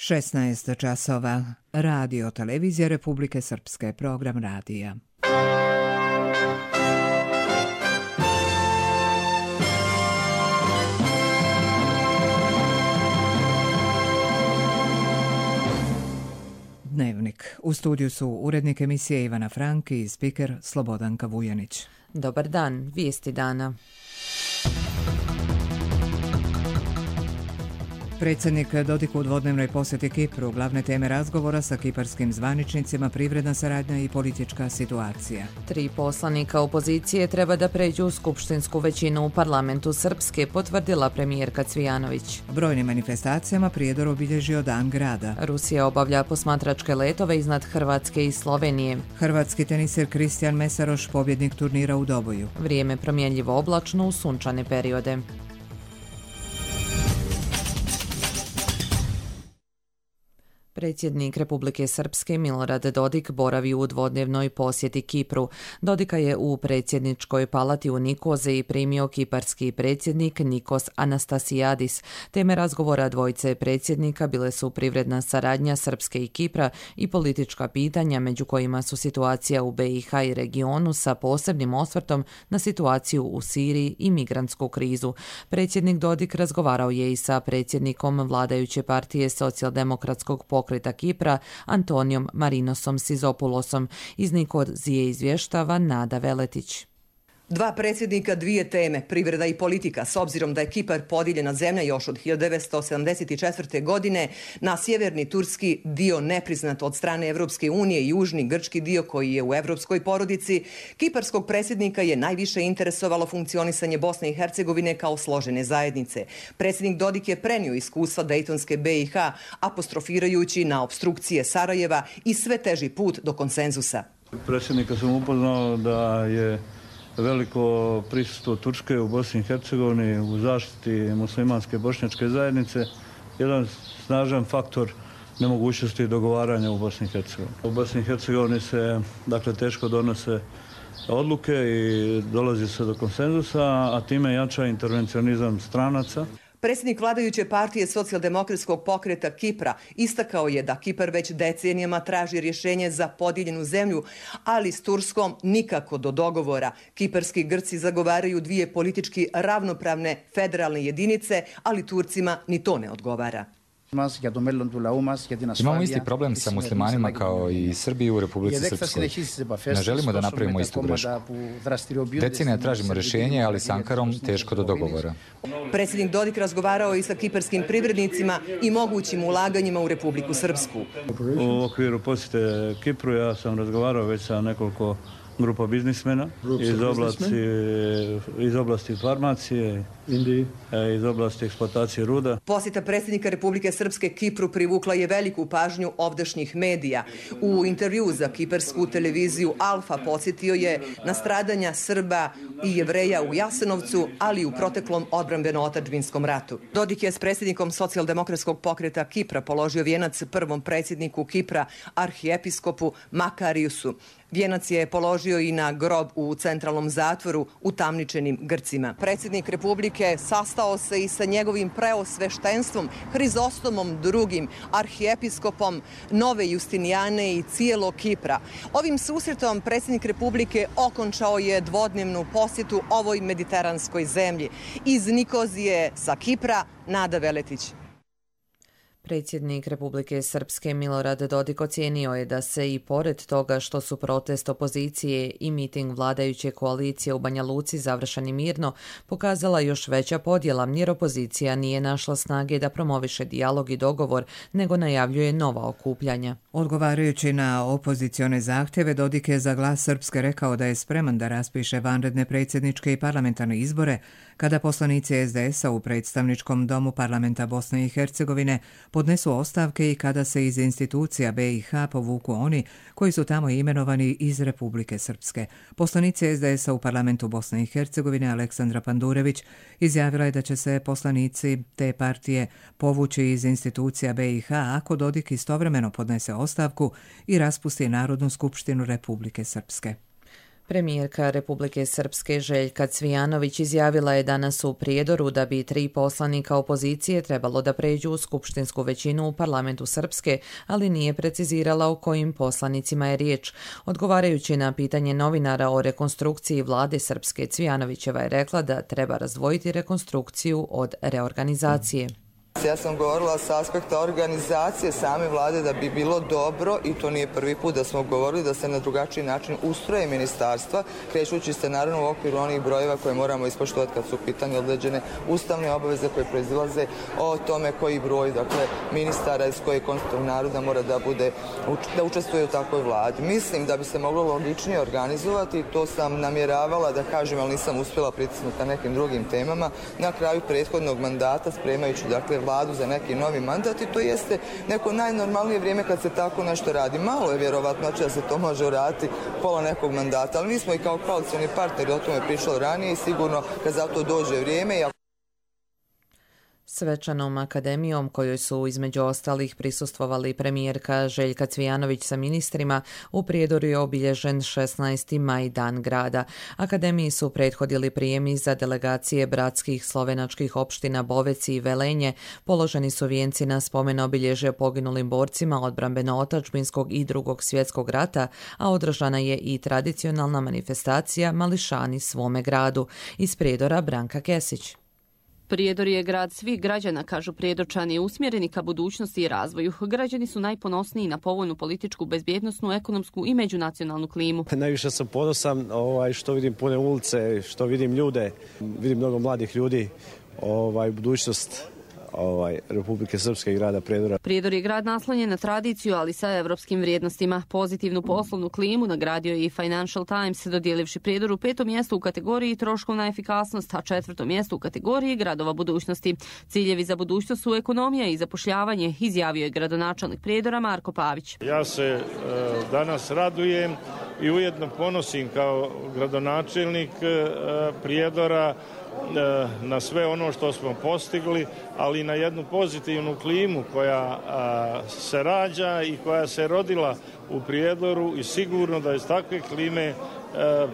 16 časova. Radio televizija Republike Srpske, program radija. Dnevnik. U studiju su urednik emisije Ivana Frank i spiker Slobodanka Vujanić. Dobar dan, vijesti dana. Predsjednik Dodik u dvodnevnoj posjeti Kipru, glavne teme razgovora sa kiparskim zvaničnicima, privredna saradnja i politička situacija. 3 poslanika opozicije treba da pređu u skupštinsku većinu u parlamentu Srpske, potvrdila premijerka Cvijanović. Brojnim manifestacijama Prijedor obilježio Dan grada. Rusija obavlja posmatračke letove iznad Hrvatske i Slovenije. Hrvatski teniser Kristijan Mesaroš, pobjednik turnira u Doboju. Vrijeme promjenljivo oblačno u sunčane periode. Predsjednik Republike Srpske Milorad Dodik boravi u dvodnevnoj posjeti Kipru. Dodika je u predsjedničkoj palati u Nikozi primio kiparski predsjednik Nikos Anastasiadis. Teme razgovora dvojice predsjednika bile su privredna saradnja Srpske i Kipra i politička pitanja, među kojima su situacija u BiH i regionu sa posebnim osvrtom na situaciju u Siriji i migrantsku krizu. Predsjednik Dodik razgovarao je i sa predsjednikom vladajuće partije Socijaldemokratskog pokreta Kipra Antonijom Marinosom Sizopulosom. Iz Nikozije izvještava Nada Veletić. Dva predsjednika, dvije teme, privreda i politika, s obzirom da je Kipar podijeljena zemlja još od 1974. godine na sjeverni turski dio nepriznat od strane Evropske unije i južni grčki dio koji je u evropskoj porodici, kiparskog predsjednika je najviše interesovalo funkcionisanje Bosne i Hercegovine kao složene zajednice. Predsjednik Dodik je prenio iskustva Dejtonske BiH, apostrofirajući na opstrukcije Sarajeva i sve teži put do konsenzusa. Predsjednika sam upoznao da je veliko prisustvo Turske u Bosni i Hercegovini u zaštiti muslimanske bošnjačke zajednice, jedan snažan faktor nemogućnosti dogovaranja u Bosni i Hercegovini. U Bosni i Hercegovini se teško donose odluke i dolazi se do konsenzusa, a time jača intervencionizam stranaca. Predsjednik vladajuće partije Socijaldemokratskog pokreta Kipra istakao je da Kipar već decenijama traži rješenje za podijeljenu zemlju, ali s Turskom nikako do dogovora. Kiparski Grci zagovaraju dvije politički ravnopravne federalne jedinice, ali Turcima ni to ne odgovara. Imamo isti problem sa muslimanima kao i Srbiji u Republici Srpskoj. Ne želimo da napravimo istu grešku. Decenija tražimo rješenje, ali s Ankarom teško do dogovora. Predsjednik Dodik razgovarao i sa kiparskim privrednicima i mogućim ulaganjima u Republiku Srpsku. U okviru posjete Kipru ja sam razgovarao već sa nekoliko grupa biznismena iz oblasti farmacije, iz oblasti eksploatacije ruda. Posjeta predsjednika Republike Srpske Kipru privukla je veliku pažnju ovdašnjih medija. U intervju za kiparsku televiziju Alfa podsjetio je na stradanja Srba i Jevreja u Jasenovcu, ali i u proteklom odbrambeno-otadžbinskom ratu. Dodik je s predsjednikom Socijaldemokratskog pokreta Kipra položio vijenac prvom predsjedniku Kipra, arhiepiskopu Makariusu. Vijenac je položio i na grob u centralnom zatvoru utamničenim Grcima. Predsjednik Republike sastao se i sa njegovim preosveštenstvom Hrizostomom II, arhiepiskopom Nove Justinijane i cijelog Kipra. Ovim susretom predsjednik Republike okončao je dvodnevnu posjetu ovoj mediteranskoj zemlji. Iz Nikozije sa Kipra, Nada Veletić. Predsjednik Republike Srpske Milorad Dodik ocijenio je da se i pored toga što su protest opozicije i miting vladajuće koalicije u Banja Luci završeni mirno, pokazala još veća podjela jer opozicija nije našla snage da promoviše dijalog i dogovor, nego najavljuje nova okupljanja. Odgovarajući na opozicione zahtjeve, Dodik je za Glas Srpske rekao da je spreman da raspiše vanredne predsjedničke i parlamentarne izbore kada poslanici SDS-a u predstavničkom domu parlamenta Bosne i Hercegovine podnesu ostavke i kada se iz institucija BiH povuku oni koji su tamo imenovani iz Republike Srpske. Poslanica SDS-a u parlamentu Bosne i Hercegovine Aleksandra Pandurević izjavila je da će se poslanici te partije povući iz institucija BiH ako Dodik istovremeno podnese ostavku i raspusti Narodnu skupštinu Republike Srpske. Premijerka Republike Srpske Željka Cvijanović izjavila je danas u Prijedoru da bi 3 poslanika opozicije trebalo da pređu u skupštinsku većinu u parlamentu Srpske, ali nije precizirala o kojim poslanicima je riječ. Odgovarajući na pitanje novinara o rekonstrukciji vlade Srpske, Cvijanovićeva je rekla da treba razdvojiti rekonstrukciju od reorganizacije. Ja sam govorila s aspekta organizacije same vlade da bi bilo dobro, i to nije prvi put da smo govorili, da se na drugačiji način ustroje ministarstva, krećući se naravno u okviru onih brojeva koje moramo ispoštovati kad su u pitanju određene ustavne obaveze koje proizilaze o tome koji broj, dakle, ministara iz kojeg konstitutivnog naroda mora da učestvuje u takvoj vladi. Mislim da bi se moglo logičnije organizovati, to sam namjeravala da kažem, ali nisam uspjela pritisnuti na nekim drugim temama, na kraju prethodnog mandata, spremajući, dakle, vladu za neki novi mandat, i to jeste neko najnormalnije vrijeme kad se tako nešto radi. Malo je vjerovatno da se to može uraditi pola nekog mandata, ali mi smo i kao koalicioni partneri o tome pričali ranije i sigurno kad za to dođe vrijeme. Svečanom akademijom kojoj su između ostalih prisustvovali premijerka Željka Cvijanović sa ministrima, u Prijedoru je obilježen 16. maj, Dan grada. Akademiji su prethodili prijemi za delegacije bratskih slovenačkih opština Bovec i Velenje, položeni su vijenci na spomen obilježje poginulim borcima odbrambeno-otačbinskog i Drugog svjetskog rata, a održana je i tradicionalna manifestacija Mališani svome gradu. Iz Prijedora Branka Kesić. Prijedor je grad svih građana, kažu Prijedorčani, usmjereni ka budućnosti i razvoju. Građani su najponosniji na povoljnu političku, bezbjednosnu, ekonomsku i međunacionalnu klimu. Najviše sam ponosan što vidim pune ulice, što vidim ljude, vidim mnogo mladih ljudi, budućnost Republike Srpske i grada Prijedora. Prijedor je grad naslonjen na tradiciju, ali sa evropskim vrijednostima. Pozitivnu poslovnu klimu nagradio je i Financial Times, dodijelivši Prijedoru 5. mjesto u kategoriji troškovna efikasnost, a 4. mjesto u kategoriji gradova budućnosti. Ciljevi za budućnost su ekonomija i zapošljavanje, izjavio je gradonačelnik Prijedora Marko Pavić. Ja se danas radujem i ujedno ponosim kao gradonačelnik Prijedora na sve ono što smo postigli, ali i na jednu pozitivnu klimu koja se rađa i koja se rodila u Prijedoru, i sigurno da iz takve klime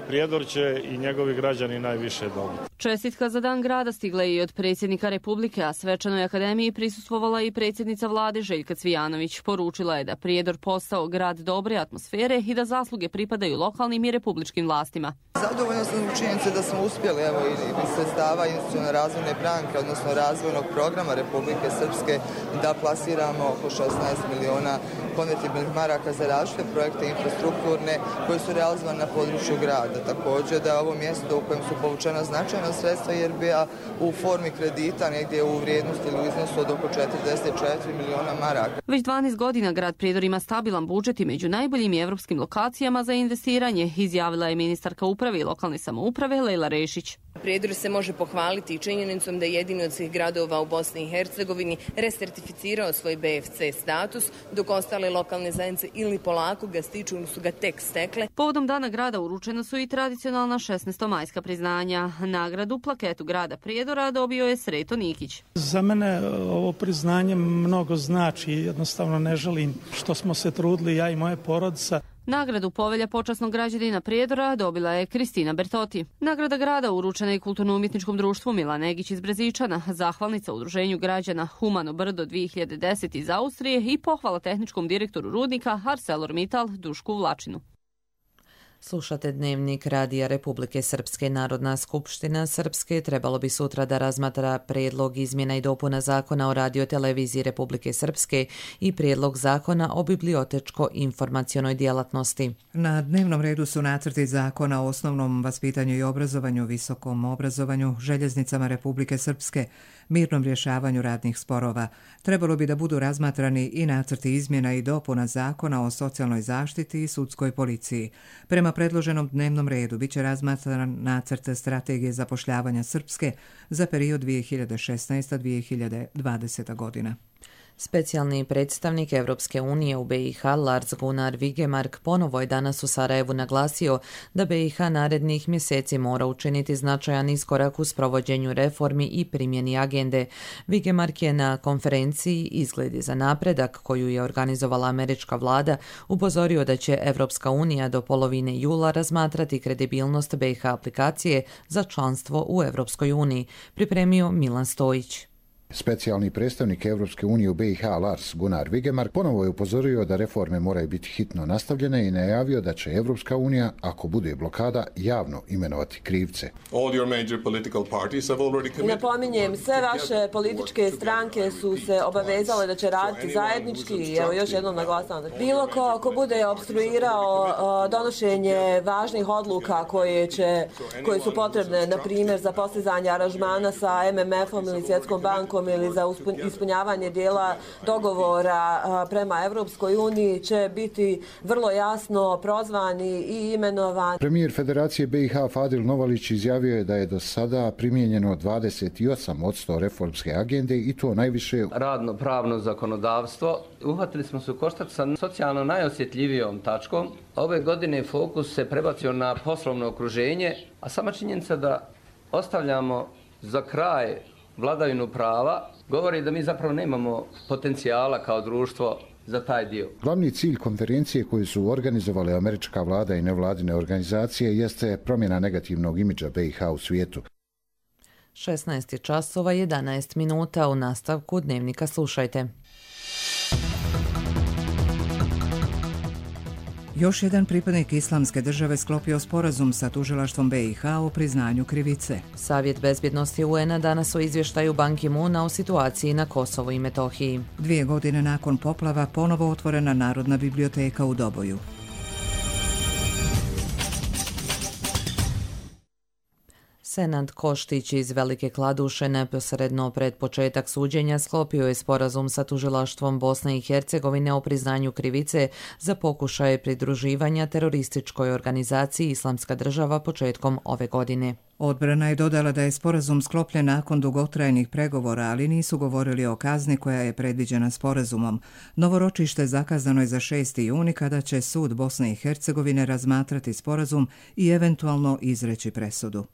Prijedor će i njegovi građani najviše dobiti. Čestitka za Dan grada stigla je i od predsjednika Republike, a svečanoj akademiji prisustvovala i predsjednica vlade Željka Cvijanović. Poručila je da Prijedor postao grad dobre atmosfere i da zasluge pripadaju lokalnim i republičkim vlastima. Zadovoljna sam u činjenici da smo uspjeli iz sredstava institucionalne razvojne banke, odnosno razvojnog programa Republike Srpske, da plasiramo oko 16 miliona konvertibilnih maraka za različite projekte infrastrukturne koji su realizovani na području grada. Također da je ovo mjesto u kojem su povučena značajna sredstva IRB-a u formi kredita negdje u vrijednosti ili u iznosu od oko 44 miliona maraka. Već 12 godina grad Prijedor ima stabilan budžet i među najboljim evropskim lokacijama za investiranje, izjavila je ministarka uprave i lokalne samouprave Lejla Rešić. Prijedor se može pohvaliti činjenicom da je jedini od svih gradova u Bosni i Hercegovini resertificirao svoj BFC status, dok ostale lokalne zajednice ili polako ga stiču ili su ga tek stekle. Povodom Dana grada uručena su i tradicionalna 16-majska priznanja. Nagradu plaketu grada Prijedora dobio je Sreto Nikić. Za mene ovo priznanje mnogo znači, jednostavno ne želim što smo se trudili ja i moja porodica. Nagradu Povelja počasnog građanina Prijedora dobila je Kristina Bertoti. Nagrada grada uručena je kulturno-umjetničkom društvu Milan Negić iz Brezičana, zahvalnica udruženju građana Humano Brdo 2010 iz Austrije i pohvala tehničkom direktoru rudnika ArcelorMittal Dušku Vlačinu. Slušate Dnevnik Radija Republike Srpske. Narodna skupština Srpske trebalo bi sutra da razmatra prijedlog izmjena i dopuna zakona o radioteleviziji Republike Srpske i prijedlog zakona o bibliotečko-informacionoj djelatnosti. Na dnevnom redu su nacrti zakona o osnovnom vaspitanju i obrazovanju, visokom obrazovanju, željeznicama Republike Srpske, mirnom rješavanju radnih sporova. Trebalo bi da budu razmatrani i nacrti izmjena i dopuna zakona o socijalnoj zaštiti i sudskoj policiji. Prema predloženom dnevnom redu biće razmatran nacrt strategije zapošljavanja Srpske za period 2016-2020 godina. Specijalni predstavnik Evropske unije u BiH Lars Gunnar Vigemark ponovo je danas u Sarajevu naglasio da BiH narednih mjeseci mora učiniti značajan iskorak u sprovođenju reformi i primjeni agende. Vigemark je na konferenciji Izgledi za napredak koju je organizovala američka vlada upozorio da će Evropska unija do polovine jula razmatrati kredibilnost BiH aplikacije za članstvo u Evropskoj uniji, pripremio Milan Stojić. Specijalni predstavnik Evropske unije u BiH Lars Gunnar Vigemark ponovo je upozorio da reforme moraju biti hitno nastavljene i najavio da će Evropska unija, ako bude blokada, javno imenovati krivce. Napominjem, sve vaše političke stranke su se obavezale da će raditi zajednički i evo još jednom naglasavam. Bilo ko bude obstruirao donošenje važnih odluka koje su potrebne, na primjer, za postizanje aranžmana sa MMF-om ili Svjetskom bankom ili za ispunjavanje dijela dogovora prema Evropskoj uniji će biti vrlo jasno prozvani i imenovani. Premijer Federacije BiH Fadil Novalić izjavio je da je do sada primijenjeno 28% reformske agende i to najviše radno-pravno zakonodavstvo. Uhvatili smo se u koštac sa socijalno najosjetljivijom tačkom. Ove godine fokus se prebacio na poslovno okruženje, a sama činjenica da ostavljamo za kraj vladavinu prava govori da mi zapravo nemamo potencijala kao društvo za taj dio. Glavni cilj konferencije koju su organizovale američka vlada i nevladine organizacije jeste promjena negativnog imidža BiH u svijetu. 16 časova 11 minuta u nastavku Dnevnika slušajte. Još jedan pripadnik Islamske države sklopio sporazum sa tužilaštvom BiH o priznanju krivice. Savjet bezbjednosti UN-a danas o izvještaju Ban Ki-moona o situaciji na Kosovu i Metohiji. 2 godine nakon poplava ponovo otvorena Narodna biblioteka u Doboju. Senad Koštić iz Velike Kladuše neposredno pred početak suđenja sklopio je sporazum sa tužilaštvom Bosne i Hercegovine o priznanju krivice za pokušaje pridruživanja terorističkoj organizaciji Islamska država početkom ove godine. Odbrana je dodala da je sporazum sklopljen nakon dugotrajnih pregovora, ali nisu govorili o kazni koja je predviđena sporazumom. Novo ročište zakazano je za 6. juni kada će sud Bosne i Hercegovine razmatrati sporazum i eventualno izreći presudu.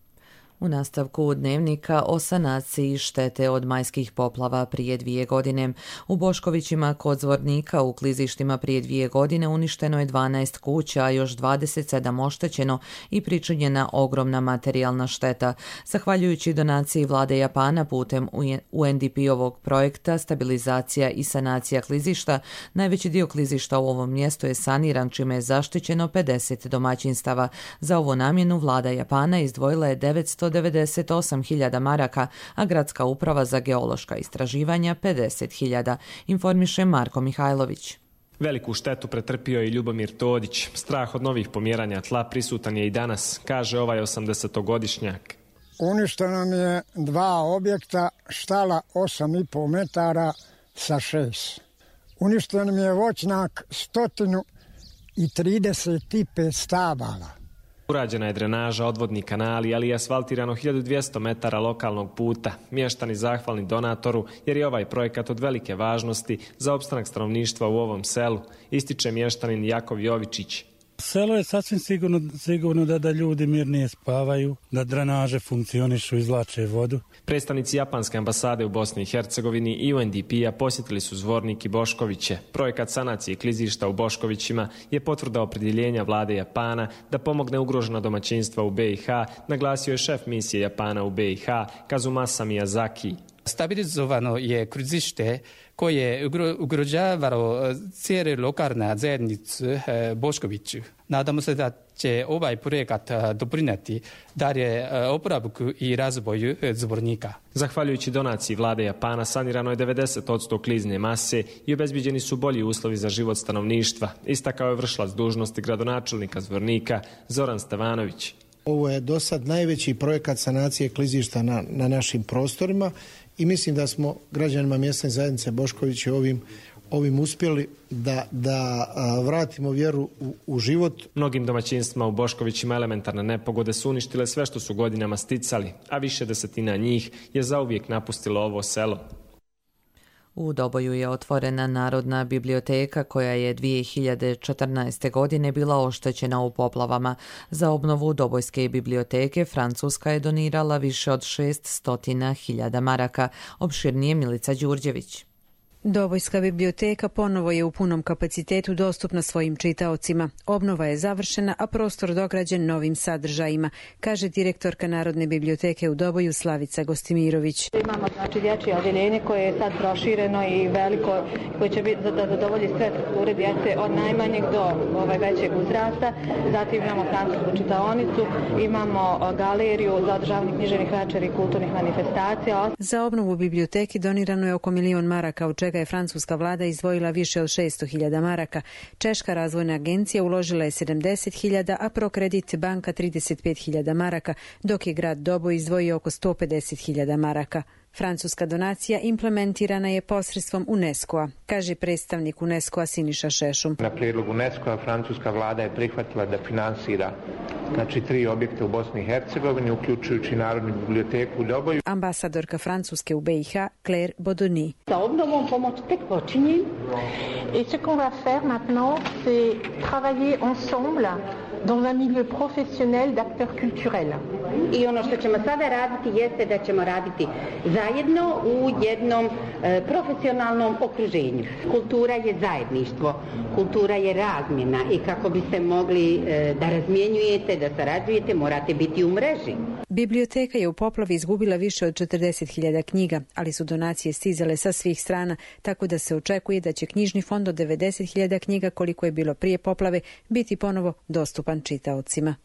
U nastavku Dnevnika o sanaciji štete od majskih poplava prije 2 godine. U Boškovićima kod Zvornika u klizištima prije 2 godine uništeno je 12 kuća, a još 27 oštećeno i pričinjena ogromna materijalna šteta. Zahvaljujući donaciji vlade Japana putem UNDP-ovog projekta Stabilizacija i sanacija klizišta, najveći dio klizišta u ovom mjestu je saniran, čime je zaštićeno 50 domaćinstava. Za ovu namjenu vlada Japana izdvojila je 998.000 maraka, a gradska uprava za geološka istraživanja 50.000, informiše Marko Mihajlović. Veliku štetu pretrpio je Ljubomir Todić. Strah od novih pomjeranja tla prisutan je i danas, kaže ovaj 80-godišnjak. Uništeno mi je 2 objekta, štala 8,5 metara sa 6. Uništeno mi je voćnjak 135 stabala. Urađena je drenaža, odvodni kanali, ali je asfaltirano 1200 metara lokalnog puta. Mještani zahvalni donatoru jer je ovaj projekat od velike važnosti za opstanak stanovništva u ovom selu, ističe mještanin Jakov Jovičić. Selo je sasvim sigurno da ljudi mirnije spavaju, da drenaže funkcionišu, izvlače vodu. Predstavnici Japanske ambasade u Bosni i Hercegovini i UNDP-a posjetili su Zvornik i Boškoviće. Projekat sanacije klizišta u Boškovićima je potvrda opredjeljenja vlade Japana da pomogne ugrožena domaćinstva u BiH, naglasio je šef misije Japana u BiH Kazumasa Miyazaki. Stabilizovano je klizište koje je ugrožavalo cijelu lokalnu zajednicu Boškoviću. Nadamo se da će ovaj projekat doprinijeti dalje oporavku i razvoju Zvornika. Zahvaljujući donaciji vlade Japana sanirano je 90% klizne mase i obezbiđeni su bolji uslovi za život stanovništva, istakao je vršilac dužnosti gradonačelnika Zvornika Zoran Stevanović. Ovo je do sad najveći projekat sanacije klizišta na našim prostorima i mislim da smo građanima mjesne zajednice Bošković ovim uspjeli da vratimo vjeru u život. Mnogim domaćinstvima u Boškovićima elementarne nepogode su uništile sve što su godinama sticali, a više desetina njih je zauvijek napustilo ovo selo. U Doboju je otvorena Narodna biblioteka koja je 2014. godine bila oštećena u poplavama. Za obnovu Dobojske biblioteke Francuska je donirala više od 600.000 maraka. Opširnije Milica Đurđević. Dobojska biblioteka ponovo je u punom kapacitetu dostupna svojim čitaocima. Obnova je završena, a prostor dograđen novim sadržajima, kaže direktorka Narodne biblioteke u Doboju Slavica Gostimirović. Imamo dječje odjeljenje koje je sad prošireno i veliko, koje će biti da zadovolji sve strukture djece od najmanjeg do većeg uzrasta. Zatim imamo francusku čitaonicu, imamo galeriju za održavanje književnih večeri i kulturnih manifestacija. Za obnovu biblioteki donirano je oko 1 milion maraka, od čega je francuska vlada izdvojila više od 600.000 maraka. Češka razvojna agencija uložila je 70.000, a Prokredit banka 35.000 maraka, dok je grad Doboj izdvojio oko 150.000 maraka. Francuska donacija implementirana je posredstvom UNESCO-a, kaže predstavnik UNESCO-a Siniša Šešum. Na prijedlog UNESCO-a francuska vlada je prihvatila da finansira 3 objekta u Bosni i Hercegovini, uključujući Narodnu biblioteku u Doboju. Ambasadorka Francuske u BiH, Claire Bodoni. Sa obnovom pomoć tek počinje. Et ce qu'on va faire maintenant, c'est travailler ensemble dans un milieu professionnel d'acteurs culturels. I ono što ćemo sada raditi jeste da ćemo raditi zajedno u jednom profesionalnom okruženju. Kultura je zajedništvo, kultura je razmjena i kako biste mogli da razmjenjujete, da sarađujete, morate biti u mreži. Biblioteka je u poplavi izgubila više od 40.000 knjiga, ali su donacije stizale sa svih strana, tako da se očekuje da će knjižni fond od 90.000 knjiga, koliko je bilo prije poplave, biti ponovo dostupan čitaocima.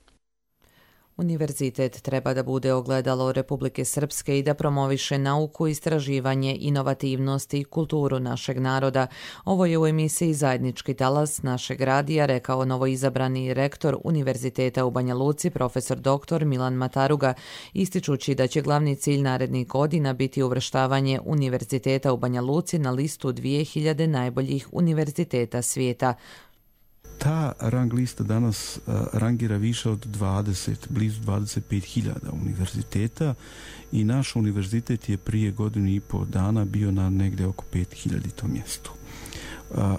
Univerzitet treba da bude ogledalo Republike Srpske i da promoviše nauku, istraživanje, inovativnost i kulturu našeg naroda. Ovo je u emisiji Zajednički talas našeg radija rekao novoizabrani rektor Univerziteta u Banja Luci, profesor dr. Milan Mataruga, ističući da će glavni cilj narednih godina biti uvrštavanje Univerziteta u Banja Luci na listu 2000 najboljih univerziteta svijeta. Ta rang lista danas rangira više od 20, blizu 25.000 univerziteta i naš univerzitet je prije 1,5 dana bio na negdje oko 5.000 mjestu.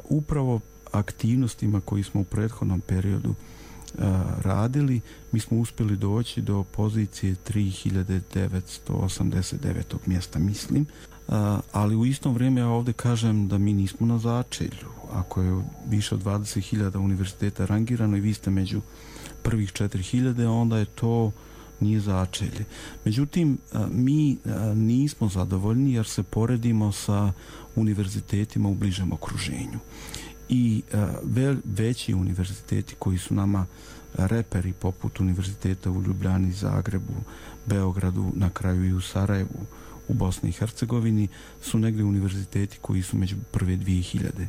Upravo aktivnostima koji smo u prethodnom periodu radili, mi smo uspjeli doći do pozicije 3.989. mjesta, mislim. Ali u istom vrijeme ja ovdje kažem da mi nismo na začelju. Ako je više od 20.000 univerziteta rangirano i vi ste među prvih 4.000, onda je to nije začelje. Međutim, mi nismo zadovoljni jer se poredimo sa univerzitetima u bližem okruženju. I veći univerziteti koji su nama reperi poput univerziteta u Ljubljani, Zagrebu, Beogradu, na kraju i u Sarajevu, u Bosni i Hercegovini, su negdje univerziteti koji su među prve 2000.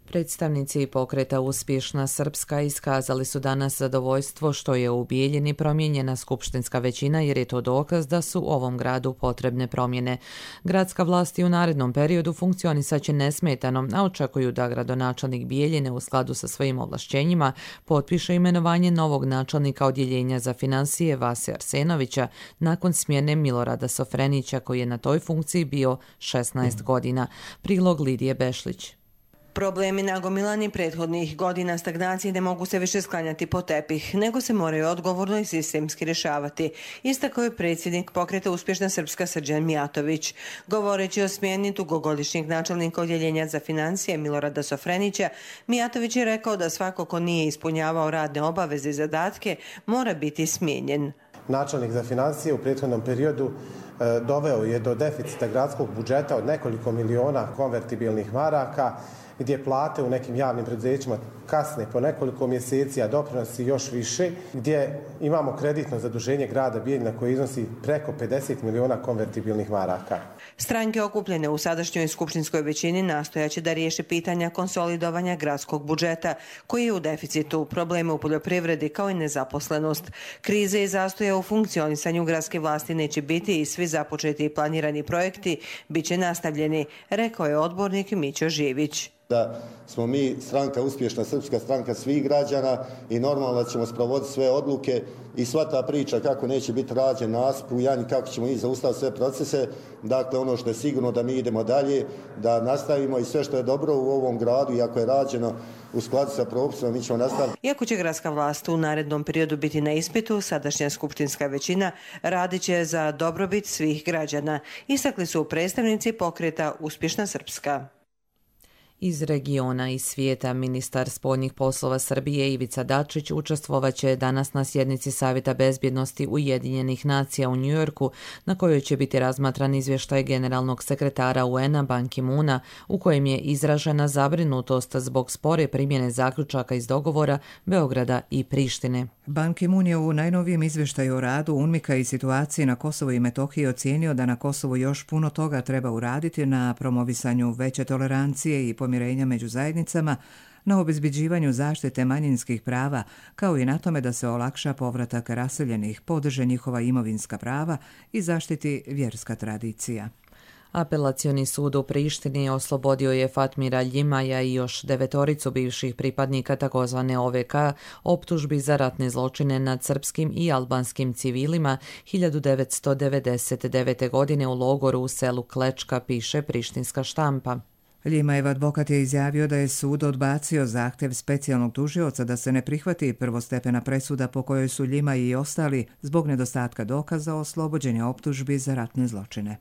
Predstavnici pokreta Uspješna Srpska iskazali su danas zadovoljstvo što je u Bijeljini promijenjena skupštinska većina, jer je to dokaz da su u ovom gradu potrebne promjene. Gradska vlast i u narednom periodu funkcionisaće nesmetano, a očekuju da gradonačelnik Bijeljine u skladu sa svojim ovlašćenjima potpiše imenovanje novog načelnika odjeljenja za financije Vase Arsenovića nakon smjene Milorada Sofrenića, koji je na toj funkciji bio 16 godina. Prilog Lidije Bešlić. Problemi nagomilani prethodnih godina stagnacije ne mogu se više sklanjati po tepih, nego se moraju odgovorno i sistemski rješavati, istakao je predsjednik pokreta Uspješna Srpska Srđan Mijatović. Govoreći o smjeni dugogodišnjeg načelnika odjeljenja za financije Milorada Sofrenića, Mijatović je rekao da svako ko nije ispunjavao radne obaveze i zadatke mora biti smijenjen. Načelnik za financije u prethodnom periodu doveo je do deficita gradskog budžeta od nekoliko miliona konvertibilnih maraka, gdje plate u nekim javnim preduzećima kasne po nekoliko mjeseci, a doprinosi još više, gdje imamo kreditno zaduženje grada Bijeljina koje iznosi preko 50 miliona konvertibilnih maraka. Stranke okupljene u sadašnjoj skupštinskoj većini nastojaće da riješe pitanja konsolidovanja gradskog budžeta, koji je u deficitu, probleme u poljoprivredi kao i nezaposlenost. Krize i zastoja u funkcionisanju gradske vlasti neće biti i svi započeti i planirani projekti bit će nastavljeni, rekao je odbornik Mićo Živić. da smo mi stranka, uspješna srpska stranka svih građana i normalno da ćemo sprovoditi sve odluke i sva ta priča kako neće biti rađen nasip u Janji, kako ćemo i zaustaviti sve procese. Dakle, ono što je sigurno da mi idemo dalje, da nastavimo i sve što je dobro u ovom gradu i ako je rađeno u skladu sa propisima, mi ćemo nastaviti. Iako će gradska vlast u narednom periodu biti na ispitu, sadašnja skupštinska većina radit će za dobrobit svih građana. Istakli su predstavnici pokreta Uspješna Srpska. Iz regiona i svijeta ministar spoljnih poslova Srbije Ivica Dačić učestvovaće danas na sjednici Savjeta bezbjednosti Ujedinjenih nacija u Njujorku, na kojoj će biti razmatran izvještaj generalnog sekretara UN-a Ban Ki-moona, u kojem je izražena zabrinutost zbog spore primjene zaključaka iz dogovora Beograda i Prištine. Ban Ki-moon je u najnovijem izvještaju o radu UNMIK-a i situaciji na Kosovu i Metohiji ocijenio da na Kosovu još puno toga treba uraditi na promovisanju veće tolerancije i pomirenja među zajednicama, na obezbeđivanju zaštite manjinskih prava, kao i na tome da se olakša povratak raseljenih, podrže njihova imovinska prava i zaštiti vjerska tradicija. Apelacioni sud u Prištini oslobodio je Fatmira Ljimaja i još 9 bivših pripadnika takozvane OVK optužbi za ratne zločine nad srpskim i albanskim civilima 1999. godine u logoru u selu Klečka, piše prištinska štampa. Ljimajev advokat je izjavio da je sud odbacio zahtjev specijalnog tužioca da se ne prihvati prvostepena presuda po kojoj su Ljimaj i ostali zbog nedostatka dokaza oslobođenja optužbi za ratne zločine.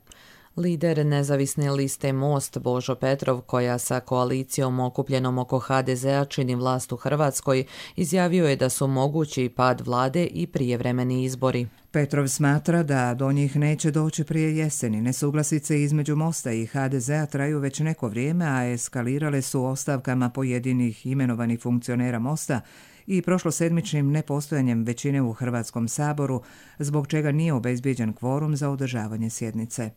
Lider nezavisne liste Most Božo Petrov, koja sa koalicijom okupljenom oko HDZ-a čini vlast u Hrvatskoj, izjavio je da su mogući pad vlade i prijevremeni izbori. Petrov smatra da do njih neće doći prije jeseni. Nesuglasice između Mosta i HDZ-a traju već neko vrijeme, a eskalirale su ostavkama pojedinih imenovanih funkcionera Mosta i prošlosedmičnim nepostojanjem većine u Hrvatskom saboru, zbog čega nije obezbijeđen kvorum za održavanje sjednice.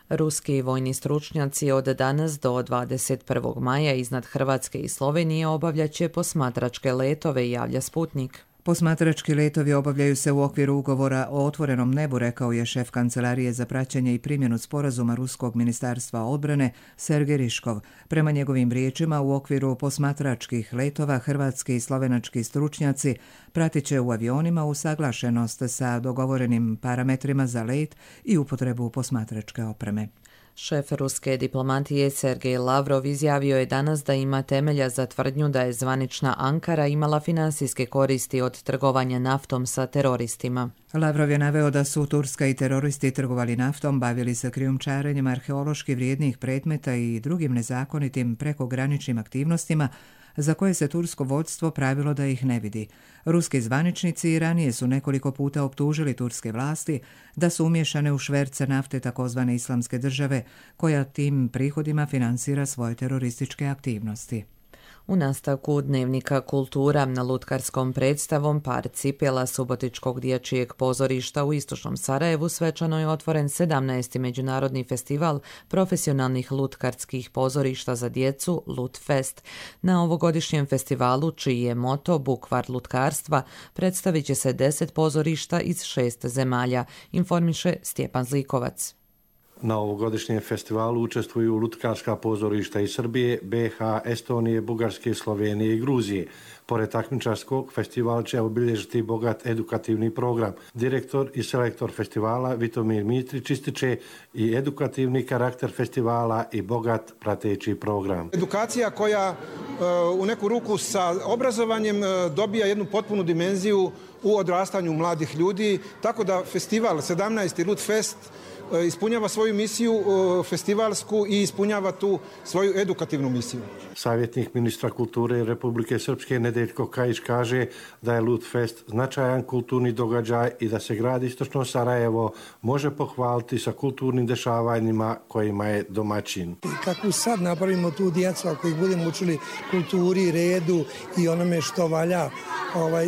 Ruski vojni stručnjaci od danas do 21. maja iznad Hrvatske i Slovenije obavljaće posmatračke letove, javlja Sputnik. Posmatrački letovi obavljaju se u okviru ugovora o otvorenom nebu, rekao je šef Kancelarije za praćenje i primjenu sporazuma Ruskog ministarstva odbrane Sergej Riškov. Prema njegovim riječima, u okviru posmatračkih letova hrvatski i slovenački stručnjaci pratit će u avionima usaglašenost sa dogovorenim parametrima za let i upotrebu posmatračke opreme. Šef ruske diplomatije Sergej Lavrov izjavio je danas da ima temelja za tvrdnju da je zvanična Ankara imala finansijske koristi od trgovanja naftom sa teroristima. Lavrov je naveo da su Turska i teroristi trgovali naftom, bavili se krijumčarenjem arheološki vrijednih predmeta i drugim nezakonitim prekograničnim aktivnostima za koje se tursko vodstvo pravilo da ih ne vidi. Ruski zvaničnici ranije su nekoliko puta optužili turske vlasti da su umiješane u šverce nafte takozvane Islamske države, koja tim prihodima finansira svoje terorističke aktivnosti. U nastavku dnevnika Kultura na lutkarskom predstavom par cipela Subotičkog dječjeg pozorišta u istočnom Sarajevu svečano je otvoren 17. međunarodni festival profesionalnih lutkarskih pozorišta za djecu Lutfest. Na ovogodišnjem festivalu, čiji je moto Bukvar lutkarstva, predstavit će se 10 pozorišta iz 6 zemalja, informiše Stjepan Zlikovac. Na ovogodišnjem festivalu učestvuju lutkarska pozorišta iz Srbije, BiH, Estonije, Bugarske, Slovenije i Gruzije. Pored takmičarskog, festival će obilježiti bogat edukativni program. Direktor i selektor festivala Vitomir Mitrić ističe i edukativni karakter festivala i bogat prateći program. Edukacija koja u neku ruku sa obrazovanjem dobija jednu potpunu dimenziju u odrastanju mladih ljudi, tako da festival 17. Lutfest ispunjava svoju misiju festivalsku i ispunjava tu svoju edukativnu misiju. Savjetnik ministra kulture Republike Srpske Nedeljko Kajić kaže da je Lutfest značajan kulturni događaj i da se grad Istočno Sarajevo može pohvaliti sa kulturnim dešavanjima kojima je domaćin. Kako sad napravimo tu djecu, ako ih budemo učili kulturi, redu i onome što valja,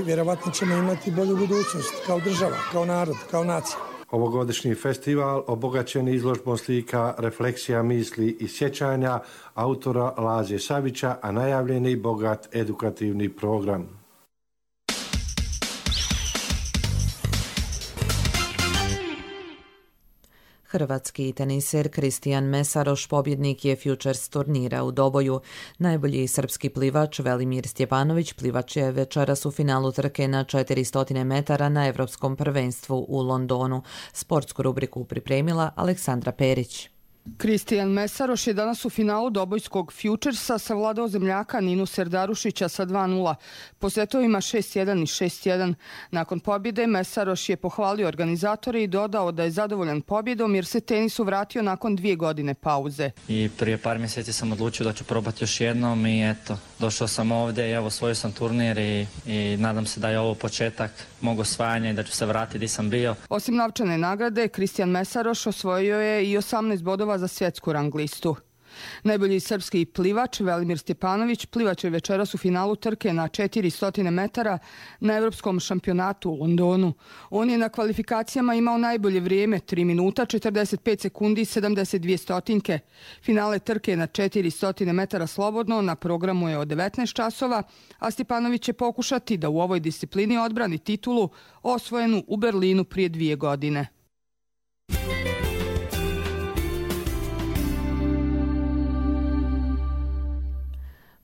vjerovatno ćemo imati bolju budućnost kao država, kao narod, kao nacija. Ovogodišnji festival obogaćen izložbom slika, refleksija misli i sjećanja autora Laze Savića, a najavljen je i bogat edukativni program. Hrvatski teniser Kristijan Mesaroš pobjednik je Futures turnira u Doboju. Najbolji srpski plivač Velimir Stjepanović plivač je večeras u finalu trke na 400 metara na Europskom prvenstvu u Londonu. Sportsku rubriku pripremila Aleksandra Perić. Kristijan Mesaroš je danas u finalu dobojskog Futuresa savladao zemljaka Ninu Serdarušića sa 2:0 po setovima 6:1 i 6:1. Nakon pobjede Mesaroš je pohvalio organizatore i dodao da je zadovoljan pobjedom jer se tenisu vratio nakon 2 godine pauze. I prije par mjeseci sam odlučio da ću probati još jednom i eto, došao sam ovdje i evo osvojio sam turnir i nadam se da je ovo početak mog osvajanja i da ću se vratiti gdje sam bio. Osim novčane nagrade, Kristijan Mesaroš osvojio je i 18 bodova za svjetsku rang listu. Najbolji srpski plivač Velimir Stjepanović plivač je večeras u finalu trke na 400 metara na Europskom šampionatu u Londonu. On je na kvalifikacijama imao najbolje vrijeme 3 minuta 45 sekundi 72 stotinke. Finale trke na 400 metara slobodno na programu je od 19 časova, a Stjepanović će pokušati da u ovoj disciplini odbrani titulu osvojenu u Berlinu prije 2 godine.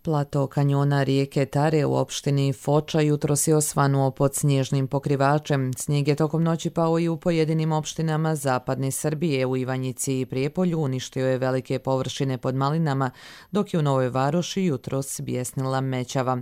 Plato kanjona rijeke Tare u opštini Foča jutros je osvanuo pod snježnim pokrivačem. Snijeg je tokom noći pao i u pojedinim opštinama zapadne Srbije. U Ivanjici i Prijepolju uništio je velike površine pod malinama, dok je u Novoj Varoši jutros bjesnila mećava.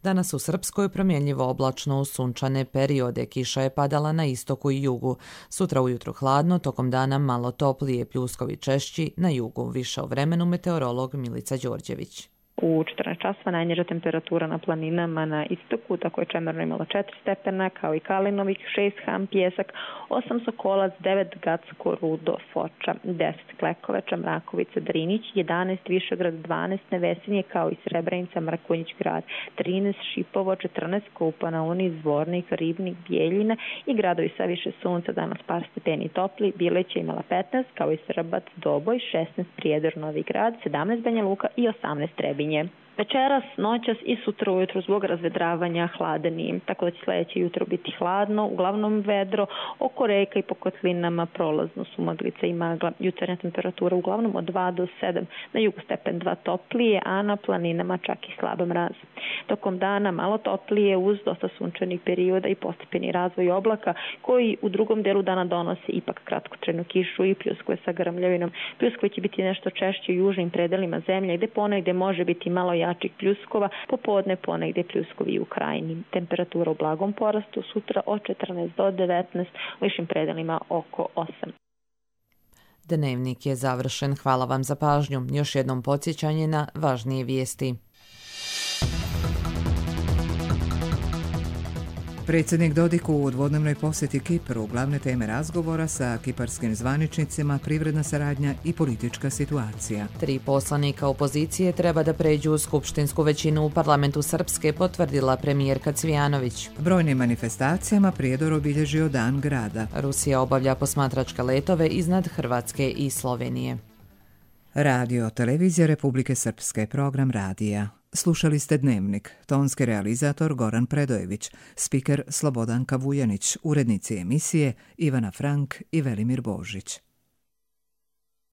Danas u Srpskoj promjenljivo oblačno u sunčane periode. Kiša je padala na istoku i jugu. Sutra ujutro hladno, tokom dana malo toplije, pljuskovi češći na jugu. Više o vremenu meteorolog Milica Đorđević. U 14 časova najniža temperatura na planinama na istoku, tako je Čemerno imala 4 stepena, kao i Kalinovih 6, Ham, Pjesak, 8 Sokolac, 9 Gacko, Rudo, Foča, 10 Klekovača, Mrakovica, Drinić, 11 Višegrad, 12 Nevesinje, kao i Srebrenica, Mrakonjić grad, 13 Šipovo, 14 Kupa, Uni, Zvornik, Ribnik, Bijeljina i gradovi sa više sunca, danas par stepeni topli, Bileća imala 15, kao i Srbac, Doboj, 16 Prijedor, Novi grad, 17 Banja Luka i 18 Trebinje. Večeras, noćas i sutra ujutro zbog razvedravanja hladni, tako da će sljedeće jutro biti hladno, uglavnom vedro, oko reka i po kotlinama prolazno su maglica i magla. Jutarnja temperatura uglavnom od 2 do 7, na jugu stepen 2 toplije, a na planinama čak i slab mraz. Tokom dana malo toplije uz dosta sunčanih perioda i postepeni razvoj oblaka koji u drugom delu dana donose ipak kratkotrajnu kišu i pljuskove sa grmljavinom. Pljuskove će biti nešto češće u južnim predelima zemlje gde ponegde može biti malo jačih pljuskova, popodne ponegde pljuskovi u krajini. Temperatura u blagom porastu, sutra od 14 do 19, u višim predelima oko 8. Dnevnik je završen. Hvala vam za pažnju. Još jednom podsjećanje na važnije vijesti. Predsjednik Dodik u dvodnevnoj posjeti Kipru, glavne teme razgovora sa kiparskim zvaničnicima, privredna saradnja i politička situacija. 3 poslanika opozicije treba da pređu u skupštinsku većinu u parlamentu Srpske, potvrdila premijerka Cvijanović. Brojnim manifestacijama Prijedor obilježio Dan grada. Rusija obavlja posmatračke letove iznad Hrvatske i Slovenije. Radio Televizija Republike Srpske, program radija. Slušali ste Dnevnik, tonski realizator Goran Predojević, spiker Slobodanka Vujanić, urednici emisije Ivana Frank i Velimir Božić.